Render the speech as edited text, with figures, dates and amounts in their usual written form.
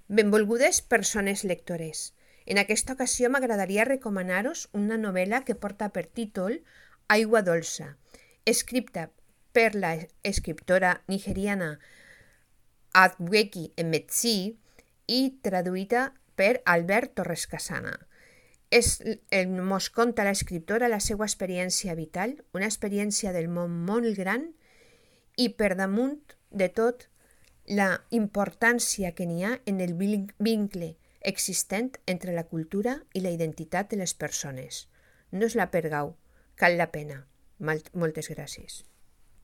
Benvolgudes persones lectores. En aquesta ocasió m'agradaria recomanar-vos una novel·la que porta per títol Aigua dolça, escrita per l'escriptora nigeriana Adweki Emetsi i traduïda per Albert Torres Casana. Mos conta l'escriptora la seva experiència vital, una experiència del món molt gran i per damunt de tot la importància que n'hi ha en el vincle existent entre la cultura i la identitat de les persones. No us la perdeu, cal la pena. Moltes gràcies.